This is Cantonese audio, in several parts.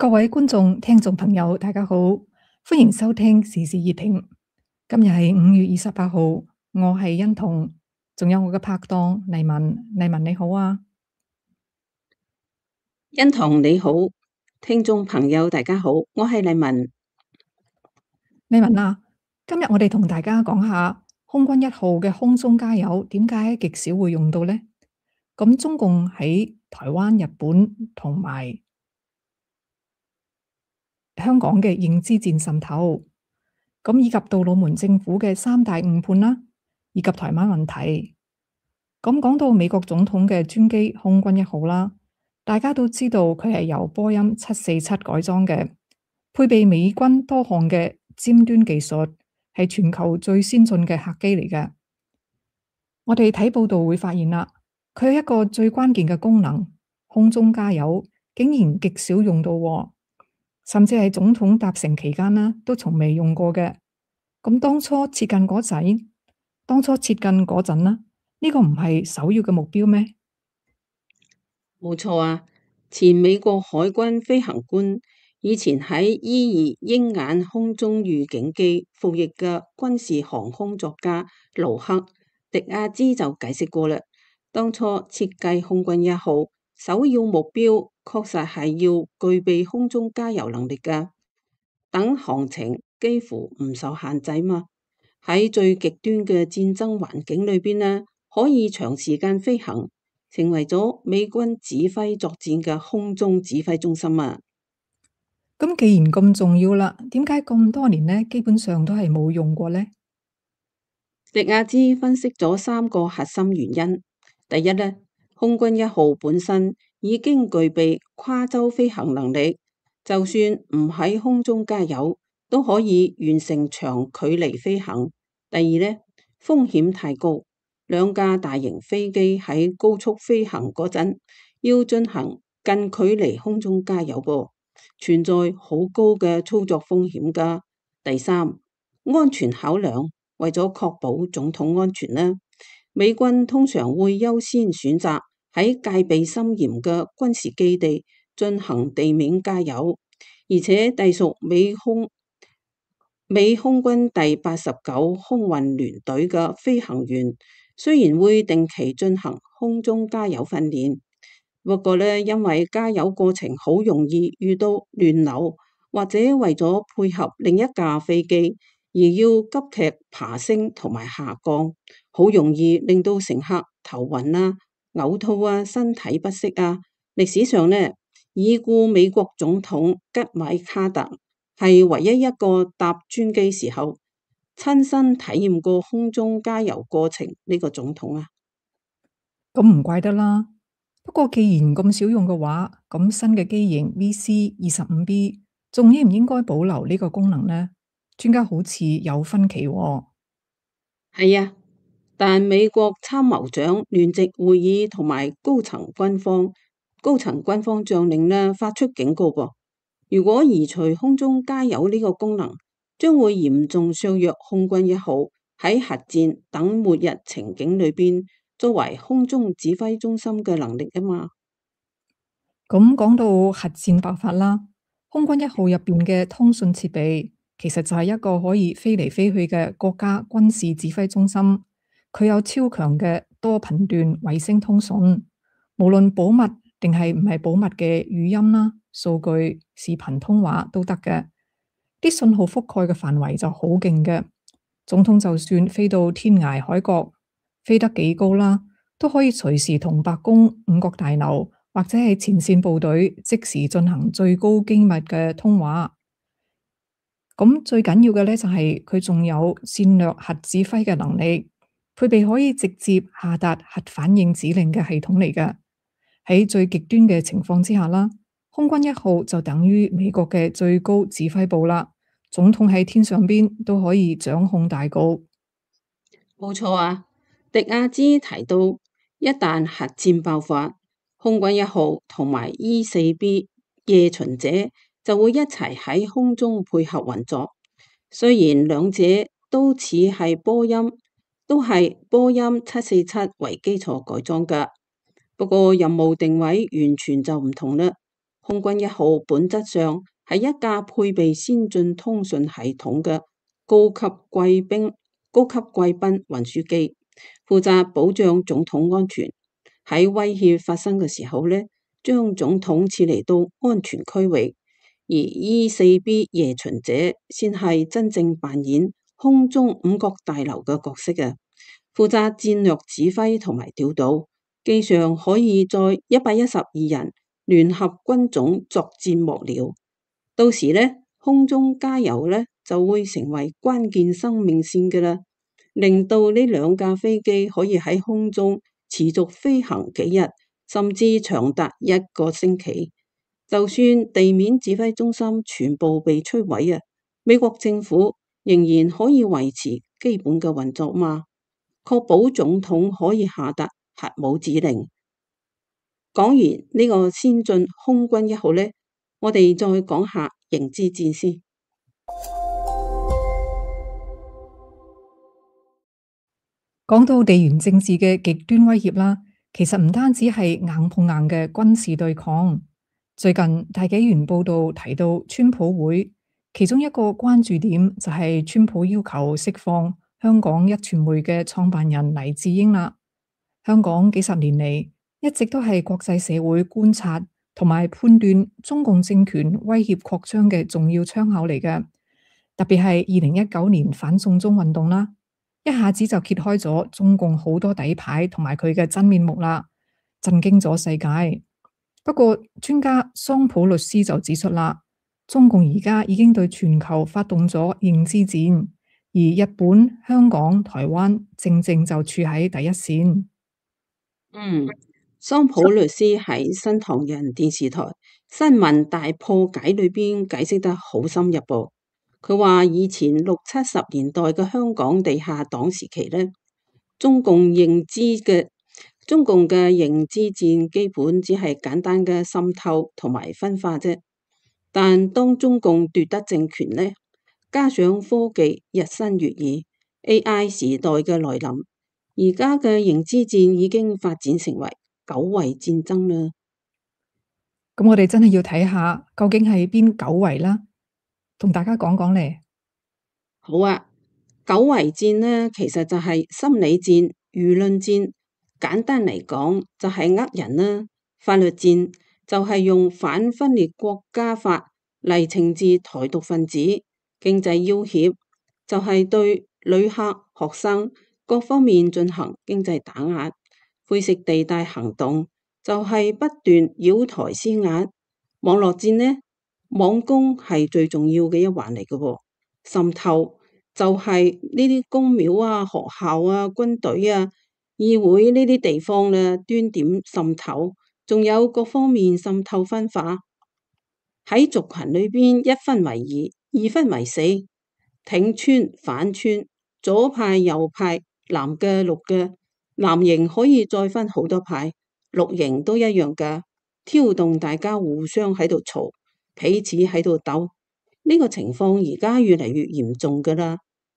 各位觀眾、聽眾朋友，大家好，歡迎收聽時事熱評。今日係5月28號，我係欣彤，仲有我嘅拍檔麗文。麗文你好啊，欣彤你好，聽眾朋友大家好，我係麗文。麗文啊，今日我哋同大家講下空軍1號嘅空中加油，點解極少會用到呢？咁中共喺台灣、日本同埋香港嘅認知戰滲透，咁以及杜魯門政府嘅3大誤判啦，以及台灣問題。咁講到美國總統嘅專機空軍1號啦，大家都知道佢係由波音747改裝嘅，配備美軍多項嘅尖端技術，係全球最先進嘅客機嚟嘅。我哋睇報道會發現啦，佢有一個最關鍵嘅功能，空中加油，竟然極少用到喎，甚至係總統搭乘期間啦，都從未用過嘅。咁當初設計嗰陣啦，呢個唔係首要嘅目標咩？冇錯啊，前美國海軍飛行官以前喺伊爾鷹眼空中預警機服役嘅軍事航空作家盧克迪亞茲就解釋過啦，當初設計空軍1號首要目標確實係要具備空中加油能力噶，等航程幾乎唔受限制嘛。喺最極端嘅戰爭環境裏邊呢，可以長時間飛行，成為咗美軍指揮作戰嘅空中指揮中心啊！咁既然咁重要啦，點解咁多年呢，基本上都係冇用過呢？迪亞茲分析咗3個核心原因。第一呢，空軍1號本身已經具備跨洲飛行能力，就算唔喺空中加油，都可以完成長距離飛行。第二呢，風險太高，兩架大型飛機喺高速飛行嗰陣，要進行近距離空中加油噃，存在好高嘅操作風險噶。第三，安全考量，為咗確保總統安全呢，美軍通常會優先選擇喺戒備森嚴嘅軍事基地進行地面加油，而且隸屬美空軍第89空運聯隊嘅飛行員，雖然會定期進行空中加油訓練，不過呢，因為加油過程好容易遇到亂流，或者為咗配合另一架飛機而要急劇爬升同埋下降，好容易令到乘客頭暈啊、嘔吐啊、身體不適啊。歷史上呢，已故美國總統吉米卡特係唯一一個搭專機時候親身體驗過空中加油過程呢個總統啊。咁唔怪得啦。不過既然咁少用嘅話，咁新嘅機型 VC-25B 仲應唔應該保留呢個功能呢？專家好似有分歧喎。係啊，但美國參謀長聯席會議同埋高層軍方將領呢發出警告噃，如果移除空中加油呢個功能，將會嚴重削弱空軍1號喺核戰等末日情景裏邊作為空中指揮中心嘅能力啊嘛。咁講到核戰爆發啦，空軍1號入邊嘅通訊設備其實就係一個可以飛嚟飛去嘅國家軍事指揮中心，佢有超強嘅多頻段衛星通訊，無論保密定係唔係保密嘅語音啦、數據、視頻通話都得嘅，啲信號覆蓋嘅範圍就好勁嘅。總統就算飛到天涯海角，飛得幾高啦，都可以隨時同白宮、五角大樓或者係前線部隊即時進行最高機密嘅通話。咁最緊要嘅咧就係佢仲有戰略核指揮嘅能力，配備可以直接下達核反應指令嘅系統嚟嘅。喺最極端嘅情況之下啦，空軍1號就等於美國嘅最高指揮部啦。總統喺天上邊都可以掌控大局。冇錯啊，迪亞茲提到，一旦核戰爆發，空軍1號同埋 E4B 夜巡者就會一齊喺空中配合運作。雖然兩者都似係波音，都係波音747為基礎改裝㗎，不過任務定位完全就唔同啦。空軍一號本質上係一架配備先進通訊系統嘅高級貴賓運輸機，負責保障總統安全。喺威脅發生嘅時候呢，將總統撤離到安全區域。而 E4B 夜巡者先係真正扮演空中五角大樓嘅角色嘅，負責戰略指揮同埋調度。機上可以載112人聯合軍種作戰幕僚。到時呢，空中加油呢就會成為關鍵生命線嘅啦，令到呢兩架飛機可以喺空中持續飛行幾日，甚至長達1個星期。就算地面指揮中心全部被摧毀啊，美國政府仍然可以維持基本嘅運作嘛，確保總統可以下達核武指令。講完呢個先進空軍一號呢，我哋再講下迎之戰先。講到地緣政治嘅極端威脅啦，其實唔單止係硬碰硬嘅軍事對抗。最近大紀元報道提到川普會，其中一個關注點就係川普要求釋放香港壹傳媒嘅創辦人黎智英啦。香港幾十年嚟一直都係國際社會觀察同埋判斷中共政權威脅擴張嘅重要窗口嚟嘅，特別係2019年反送中運動啦，一下子就揭開咗中共好多底牌同埋佢嘅真面目啦，震驚咗世界。不過專家桑普律師就指出啦，中共而家已經對全球發動咗認知戰，而日本、香港、台灣正正就處喺第一線。桑普律師喺新唐人電視台新聞大破解裏邊解釋得好深入噃。佢話以前60、70年代嘅香港地下黨時期呢，中共嘅認知戰基本只係簡單嘅滲透同埋分化啫。但當中共奪得政權呢，加上科技日新月異 ，AI 時代嘅來臨，而家嘅認知戰已經發展成為9維戰爭啦。咁我哋真係要睇下究竟係邊9維啦，同大家講講咧。好啊，9維戰呢，其實就係心理戰、輿論戰。簡單嚟講，就係呃人啦。法律戰就係用反分裂國家法嚟懲治台獨分子。經濟要挾就係對旅客、學生各方面進行經濟打壓。灰色地帶行動就係不斷擾台施壓。網絡戰呢，網攻係最重要嘅一環嚟嘅喎。滲透就係呢啲公廟啊、學校啊、軍隊啊、議會呢啲地方咧，端點滲透，仲有各方面滲透分化。喺族群裏邊一分為二，二分為四，挺村反村，左派右派，藍嘅綠嘅，藍營可以再分好多派，綠營都一樣噶，挑動大家互相喺度嘈，彼此喺度鬥。呢個情況而家越嚟越嚴重噶啦。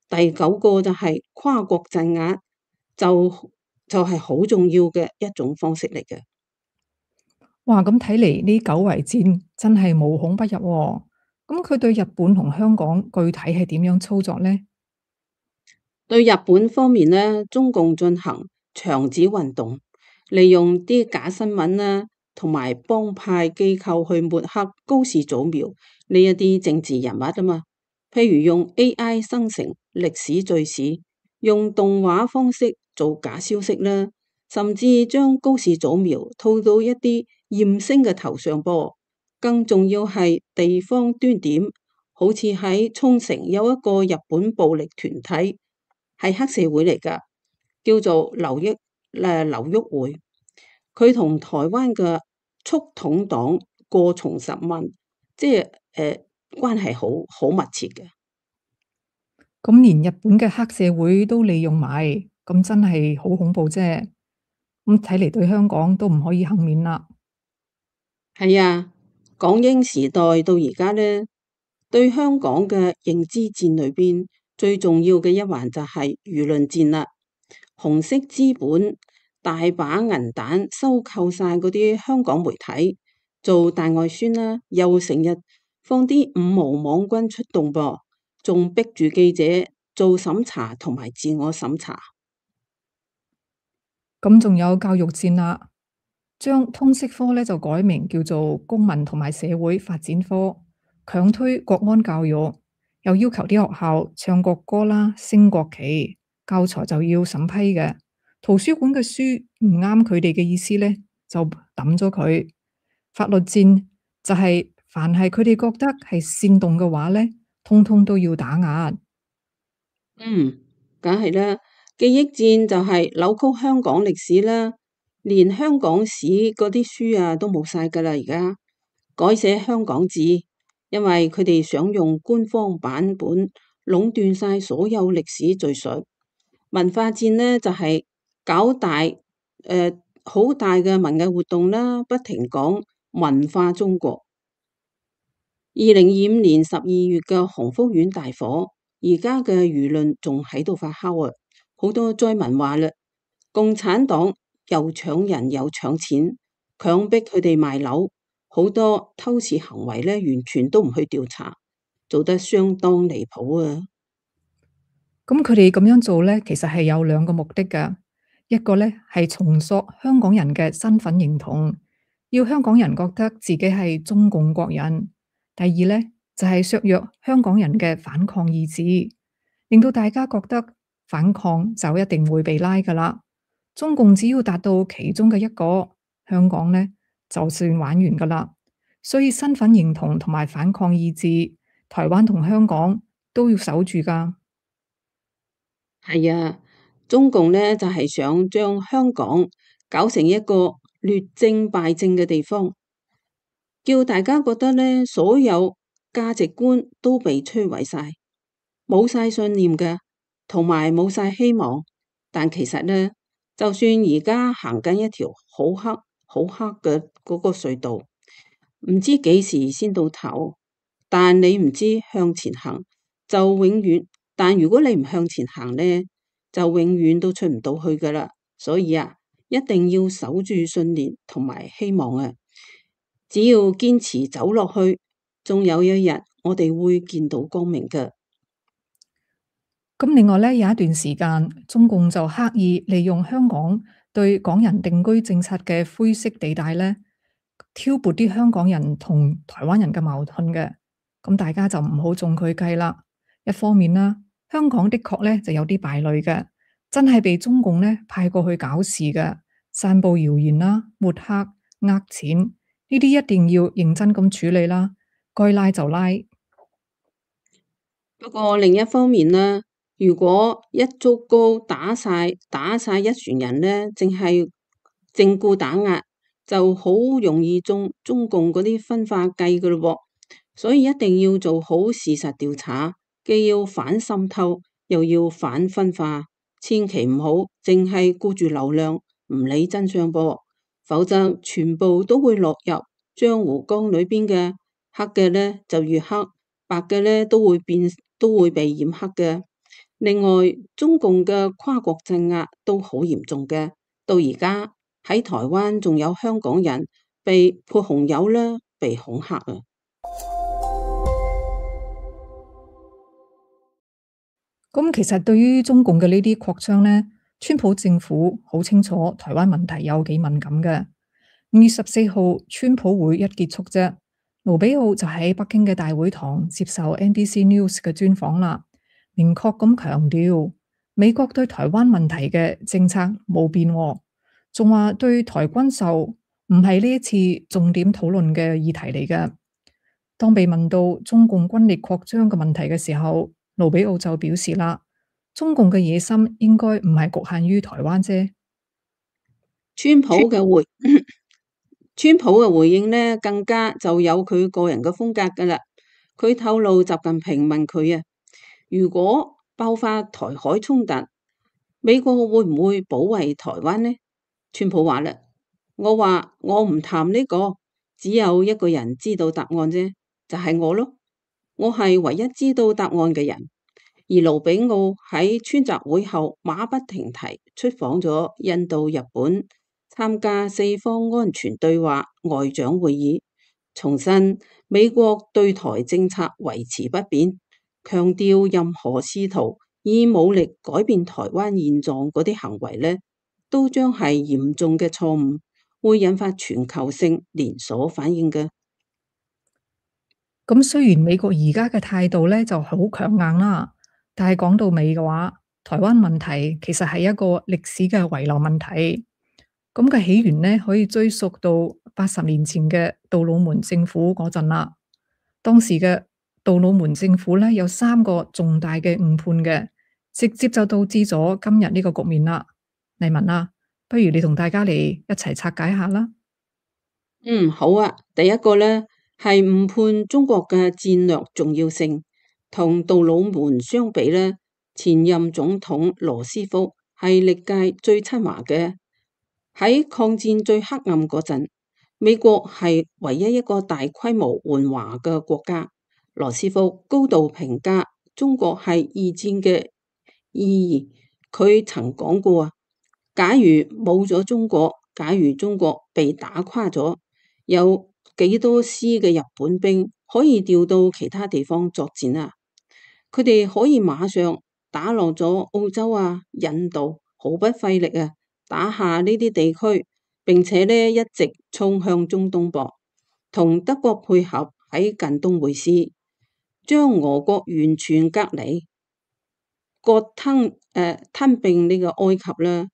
第9個就係跨國鎮壓，就係好重要嘅一種方式嚟嘅。哇，咁睇嚟呢9維戰真係無孔不入喎。咁佢對日本同香港具體係點樣操作呢？對日本方面呢，中共進行牆紙運動，利用啲假新聞啦，同埋幫派機構去抹黑高市早苗呢一啲政治人物啊嘛。譬如用 AI 生成歷史敘事，用動畫方式做假消息啦，甚至將高市早苗套到一啲艷星嘅頭上噃。更重要係地方端點，好似喺沖繩有一個日本暴力團體，係黑社會嚟噶，叫做流郁會。佢同台灣嘅促統黨過從甚密，即係關係好密切嘅。咁連日本嘅黑社會都利用埋，咁真係好恐怖啫。咁睇嚟對香港都唔可以幸免啦。係啊，港英時代到而家呢，對香港嘅認知戰裏邊最重要嘅一環就係輿論戰啦。紅色資本大把銀彈收購晒嗰啲香港媒體，做大外宣啦，又成日放啲五毛網軍出動噃，仲逼住記者做審查同埋自我審查。咁仲有教育戰啦，將通識科咧就改名叫做公民同埋社會發展科，強推國安教育，又要求啲學校唱國歌啦、升國旗，教材就要審批嘅。圖書館嘅書唔啱佢哋嘅意思咧，就抌咗佢。法律戰就係凡係佢哋覺得係煽動嘅話咧，通通都要打壓。嗯，梗係啦，記憶戰就係扭曲香港歷史啦，連香港史嗰啲書啊都冇晒噶啦，而家改寫香港字，因為佢哋想用官方版本壟斷晒所有歷史敘述。文化戰呢，就係搞大好大嘅文藝活動啦，不停講文化中國。2025年12月嘅鴻福苑大火，而家嘅輿論仲喺度發酵啊！好多災民話啦，共產黨又搶人又搶錢，強迫佢哋賣樓，好多偷竊行為呢，完全都唔去調查，做得相當離譜啊！咁佢哋咁樣做咧，其實係有兩個目的㗎。一個咧係重塑香港人嘅身份認同，要香港人覺得自己係中共國人；第二咧就係削弱香港人嘅反抗意志，令到大家覺得反抗就一定會被拉㗎喇。中共只要達到其中嘅一個，香港咧就算玩完㗎喇。所以身份認同同埋反抗意志，台灣同香港都要守住㗎。係啊，中共呢就係想將香港搞成一個劣政敗政嘅地方，叫大家覺得呢所有價值觀都被摧毀晒，冇晒信念嘅，同埋冇晒希望。但其實呢，就算而家行緊一條好黑好黑嘅嗰個隧道，唔知幾時先到頭，但你唔知向前行就永遠。但如果你唔向前行呢，就永遠都出唔到去噶啦。所以啊，一定要守住信念同埋希望啊！只要堅持走落去，仲有一日我哋會見到光明嘅。咁另外咧，有一段時間，中共就刻意利用香港對港人定居政策嘅灰色地帶咧，挑撥啲香港人同台灣人嘅矛盾嘅。咁大家就唔好中佢計啦。一方面啦，香港的確咧就有啲敗類嘅，真係被中共咧派過去搞事嘅，散布謠言啦、抹黑、呃錢，呢啲一定要認真咁處理啦，該拉就拉。不過另一方面呢，如果一竹篙打晒一船人呢，淨係正顧打壓，就好容易中共嗰啲分化計噶咯喎。所以一定要做好事實調查，既要反滲透，又要反分化，千祈唔好淨係顧住流量，唔理真相噃，否則全部都會落入漿糊缸裏邊嘅，黑嘅呢就越黑，白嘅呢都會被染黑嘅。另外，中共嘅跨國鎮壓都好嚴重嘅，到而家喺台灣仲有香港人被潑紅油啦，被恐嚇啊！咁其實對於中共嘅呢啲擴張呢，川普政府好清楚台灣問題有幾敏感嘅。5月14號，川普會一結束啫，盧比奧就喺北京嘅大會堂接受 NBC News 嘅專訪啦，明確咁強調美國對台灣問題嘅政策冇變喎，仲話對台軍售唔係呢一次重點討論嘅議題嚟嘅。當被問到中共軍力擴張嘅問題嘅時候，盧比奧就表示啦，中共嘅野心應該唔係局限於台灣啫。川普嘅回川普嘅回應呢，更加就有佢個人嘅風格噶啦。佢透露習近平問佢啊，如果爆發台海衝突，美國會唔會保衛台灣呢？川普話啦，我話我唔談呢個，只有一個人知道答案啫，就係我咯，我係唯一知道答案嘅人。而盧比奧喺川習會後馬不停蹄出訪咗印度、日本，參加四方安全對話外長會議，重申美國對台政策維持不變，強調任何試圖以武力改變台灣現狀嗰啲行為呢，都將係嚴重嘅錯誤，會引發全球性連鎖反應嘅。咁雖然美國而家嘅態度咧就好強硬啦，但係講到尾嘅話，台灣問題其實係一個歷史嘅遺留問題。咁嘅起源呢，可以追溯到80年前嘅杜魯門政府嗰陣啦。當時嘅杜魯門政府咧有3個重大嘅誤判嘅，直接就導致咗今日呢個局面啦。黎文啊，不如你同大家嚟一齊拆解下啦。好啊。第一個呢，係誤判中國嘅戰略重要性，同杜魯門相比呢，前任總統羅斯福係歷屆最親華嘅。喺抗戰最黑暗嗰陣，美國係唯一一個大規模援華嘅國家。羅斯福高度評價中國係二戰嘅意義，佢曾講過啊，假如冇咗中國，假如中國被打垮咗，有幾多師嘅日本兵可以調到其他地方作戰啊？佢哋可以馬上打落咗澳洲啊、印度，毫不費力啊，打下呢啲地區，並且呢一直衝向中東噃，同德國配合喺近東會師，將俄國完全隔離，吞併呢個埃及啦，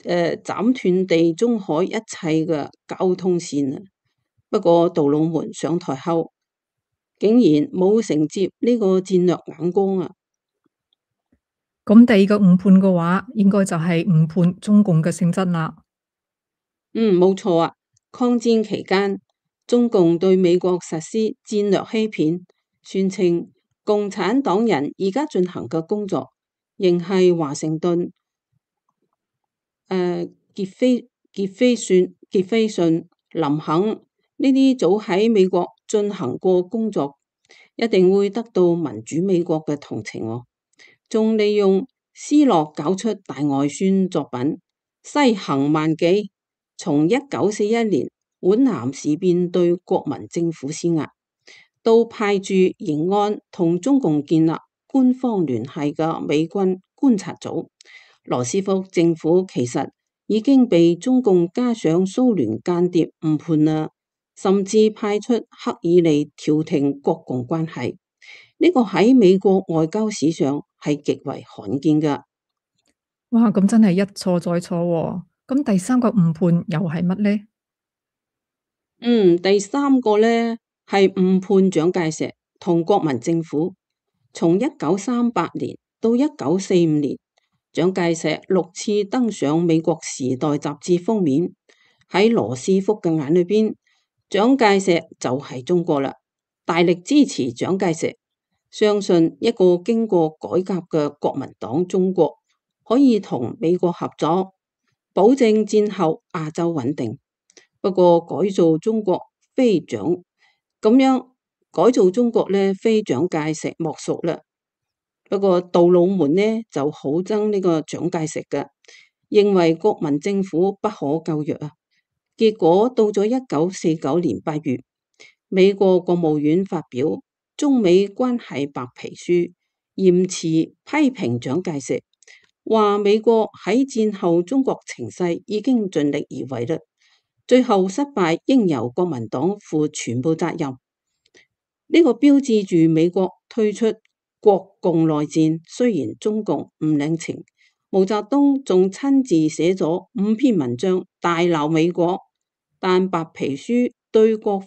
斬斷地中海一切嘅交通線啊！不過杜魯門上台後，竟然冇承接呢個戰略眼光啊！咁第二個誤判嘅話，應該就係誤判中共嘅性質啦。冇錯啊！抗戰期間，中共對美國實施戰略欺騙，宣稱共產黨人而家進行嘅工作，仍係華盛頓、傑斐遜、林肯呢啲早喺美國進行過工作，一定會得到民主美國嘅同情喎。仲利用斯諾搞出大外宣作品《西行萬記》，從1941年皖南事變對國民政府施壓，到派駐延安同中共建立官方聯繫嘅美軍觀察組。羅斯福政府其實已經被中共加上蘇聯間諜誤判啦，甚至派出赫爾利調停國共關係。呢個喺美國外交史上係極為罕見噶。哇，咁真係一錯再錯喎。咁第三個誤判又係乜呢？第三個呢，係誤判蔣介石同國民政府。從1938年到1945年，蔣介石6次登上美國時代雜誌封面。喺羅斯福嘅眼裏邊，蔣介石就係中國啦，大力支持蔣介石，相信一個經過改革嘅國民黨中國可以同美國合作，保證戰後亞洲穩定。不過改造中國非蔣咁樣改造中國呢，非蔣介石莫屬啦。不過杜魯門呢就好憎呢個蔣介石嘅，認為國民政府不可救藥啊。結果到咗1949年8月，美國國務院發表中美關係白皮書，嚴詞批評蔣介石，話美國喺戰後中國情勢已經盡力而為啦，最後失敗應由國民黨負全部責任。呢個標誌住美國退出國共內戰。雖然中共唔領情，毛澤東仲親自寫咗5篇文章大鬧美國，但白皮書對國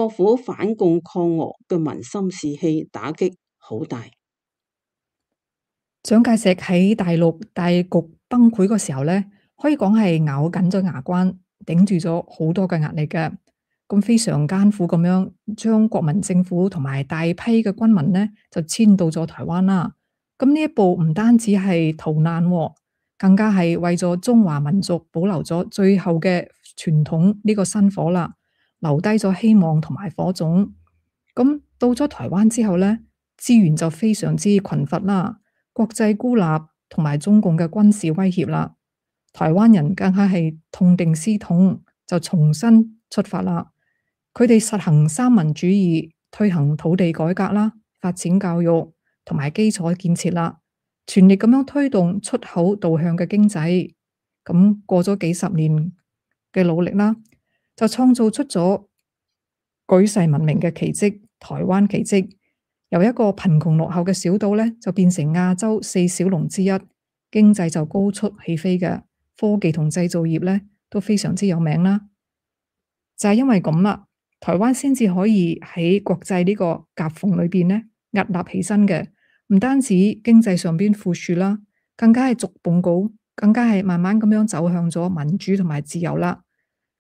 府反共抗俄嘅民心士氣打擊好大。蔣介石喺大陸大局崩潰嗰時候咧，可以講係咬緊咗牙關，頂住咗好多嘅壓力嘅。咁非常艱苦咁樣，將國民政府同埋大批嘅軍民呢，就遷到咗台灣啦。咁呢一步唔單止係逃難喎，更加係為咗中華民族保留咗最後嘅傳統呢個薪火啦，留低咗希望同埋火種。咁到咗台灣之後呢，資源就非常之匱乏啦，國際孤立同埋中共嘅軍事威脅啦，台灣人更加係痛定思痛，就重新出發啦。佢哋實行三民主義，推行土地改革啦，發展教育同埋基礎建設啦，全力咁樣推動出口導向嘅經濟。咁過咗幾十年嘅努力啦，就創造出咗舉世聞名嘅奇蹟——台灣奇蹟。由一個貧窮落後嘅小島呢，就變成亞洲四小龍之一，經濟就高速起飛嘅，科技同製造業呢都非常之有名啦。就係因為咁啦，台灣先至可以喺國際呢個夾縫裏邊呢屹立起身嘅。唔單止經濟上邊富庶啦，更加係逐步更加係慢慢咁樣走向咗民主同埋自由啦。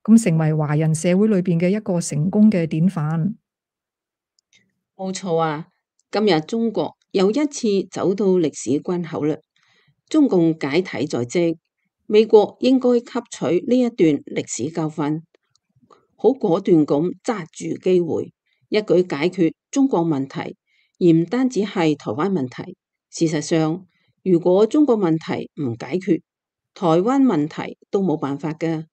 咁成為華人社會裏邊嘅一個成功嘅典範。冇錯啊！今日中國又一次走到歷史關口啦。中共解體在即，美國應該吸取呢一段歷史教訓，好果斷咁揸住機會，一舉解決中國問題，而唔單止係台灣問題。事實上，如果中國問題唔解決，台灣問題都冇辦法㗎。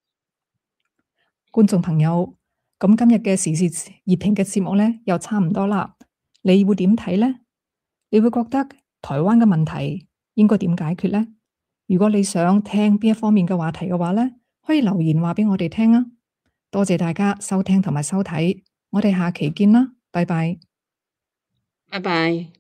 觀眾朋友，咁今日嘅時事熱評嘅節目呢，又差唔多啦。你會點睇呢？你會覺得台灣嘅問題應該點解決呢？如果你想聽邊一方面嘅話題嘅話呢，可以留言話俾我哋聽啊！多謝大家收聽同埋收睇，我哋下期見啦，拜拜。拜拜。